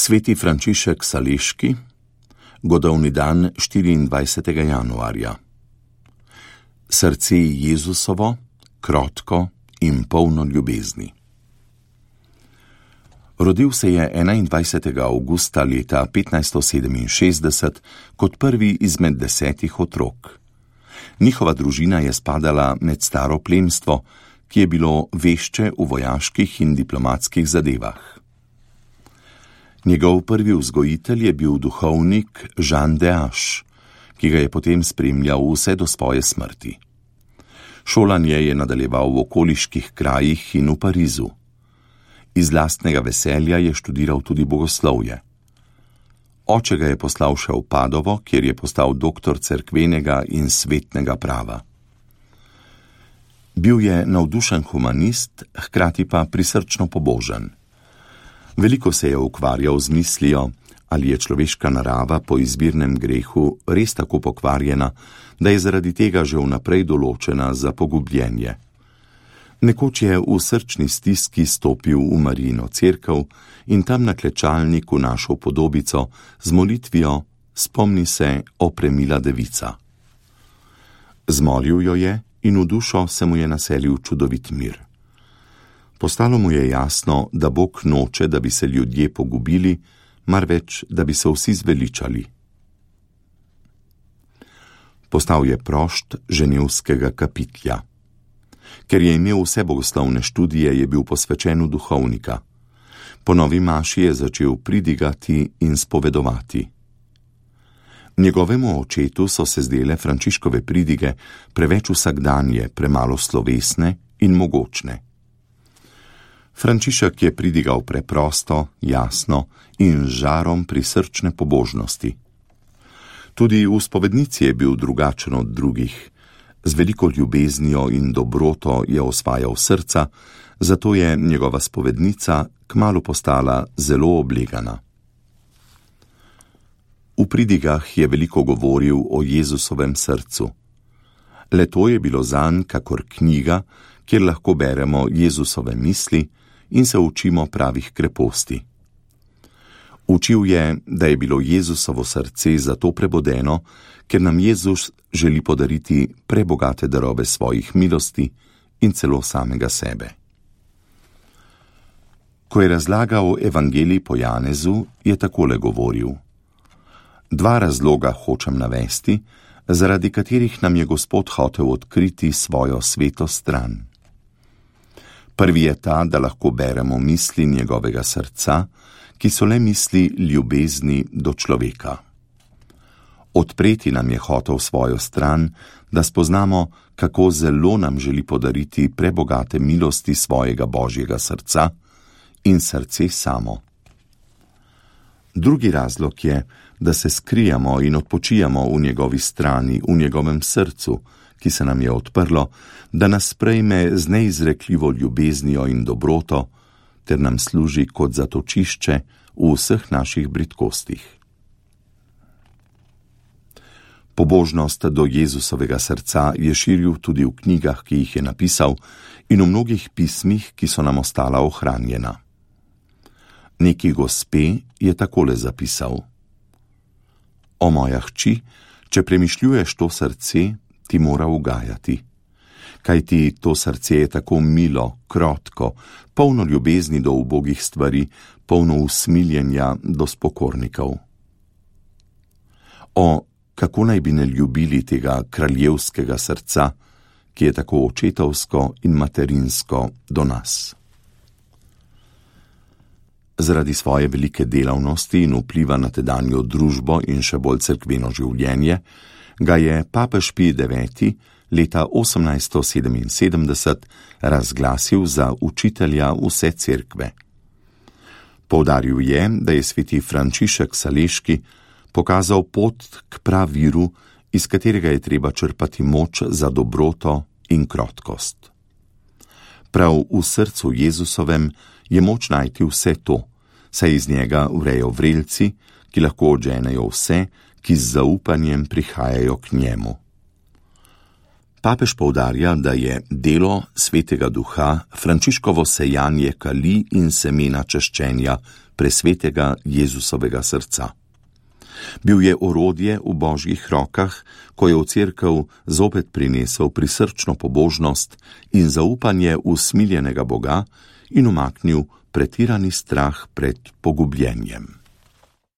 Sveti Frančišek Saleški, godovni dan 24. januarja. Srce Jezusovo, krotko in polno ljubezni. Rodil se je 21. avgusta leta 1567 kot prvi izmed 10 otrok. Njihova družina je spadala med staro plemstvo, ki je bilo vešče v vojaških in diplomatskih zadevah. Njegov prvi vzgojitelj je bil duhovnik Jean d'Ache, ki ga je potem spremljal vse do svoje smrti. Šolanje je nadaljeval v okoliških krajih in v Parizu. Iz lastnega veselja je študiral tudi bogoslovje. Oče ga je poslal še v Padovo, kjer je postal doktor cerkvenega in svetnega prava. Bil je navdušen humanist, hkrati pa prisrčno pobožen. Veliko se je ukvarjal z mislijo, ali je človeška narava po izvirnem grehu res tako pokvarjena, da je zaradi tega že vnaprej določena za pogubljenje. Nekoč je v srčni stiski stopil v Marijino cerkev in tam na klečalniku našel podobico z molitvijo Spomni se, o premila devica. Zmolil jo je in v dušo se mu je naselil čudovit mir. Postalo mu je jasno, da Bog noče, da bi se ljudje pogubili, marveč, da bi se vsi zveličali. Postal je prošt ženevskega kapitlja. Ker je imel vse bogoslovne študije, je bil posvečen v duhovnika. Po novi maši je začel pridigati in spovedovati. Njegovemu očetu so se zdele Frančiškove pridige preveč vsakdanje, premalo slovesne in mogočne. Frančišek je pridigal preprosto, jasno in z žarom prisrčne pobožnosti. Tudi v spovednici je bil drugačen od drugih. Z veliko ljubeznijo in dobroto je osvajal srca, zato je njegova spovednica kmalu postala zelo oblegana. V pridigah je veliko govoril o Jezusovem srcu. Le to je bilo zanj kakor knjiga, kjer lahko beremo Jezusove misli in se učimo pravih kreposti. Učil je, da je bilo Jezusovo srce zato prebodeno, ker nam Jezus želi podariti prebogate darove svojih milosti in celo samega sebe. Ko je razlagal evangelij po Janezu, je takole govoril: 2 razloga hočem navesti, zaradi katerih nam je Gospod hotel odkriti svojo sveto stran. Prvi je ta, da lahko beremo misli njegovega srca, ki so le misli ljubezni do človeka. Odpreti nam je hotel svojo stran, da spoznamo, kako zelo nam želi podariti prebogate milosti svojega Božjega srca in srce samo. Drugi razlog je, da se skrijamo in odpočijamo v njegovi strani, v njegovem srcu, ki se nam je odprlo, da nas sprejme z neizrekljivo ljubeznijo in dobroto, ter nam služi kot zatočišče v vseh naših bridkostih. Pobožnost do Jezusovega srca je širil tudi v knjigah, ki jih je napisal, in v mnogih pismih, ki so nam ostala ohranjena. Neki gospe je takole zapisal: O moja hči, če premišljuješ to srce, ti mora ugajati. Kajti to srce je tako milo, krotko, polno ljubezni do ubogih stvari, polno usmiljenja do spokornikov. O, kako naj bi ne ljubili tega kraljevskega srca, ki je tako očetovsko in materinsko do nas. Zaradi svoje velike delavnosti in vpliva na tedanjo družbo in še bolj cerkveno življenje, ga je papež Pij IX leta 1877 razglasil za učitelja vse cerkve. Poudaril je, da je sveti Frančišek Saleški pokazal pot k praviru, iz katerega je treba črpati moč za dobroto in krotkost. Prav v srcu Jezusovem je moč najti vse to, saj iz njega vrejo vrelci, ki lahko odženejo vse, ki z zaupanjem prihajajo k njemu. Papež poudarja, da je delo Svetega Duha Frančiškovo sejanje kali in semena čaščenja presvetega Jezusovega srca. Bil je orodje v Božjih rokah, ko je v cerkev zopet prinesel prisrčno pobožnost in zaupanje v smiljenega Boga in umaknil pretirani strah pred pogubljenjem.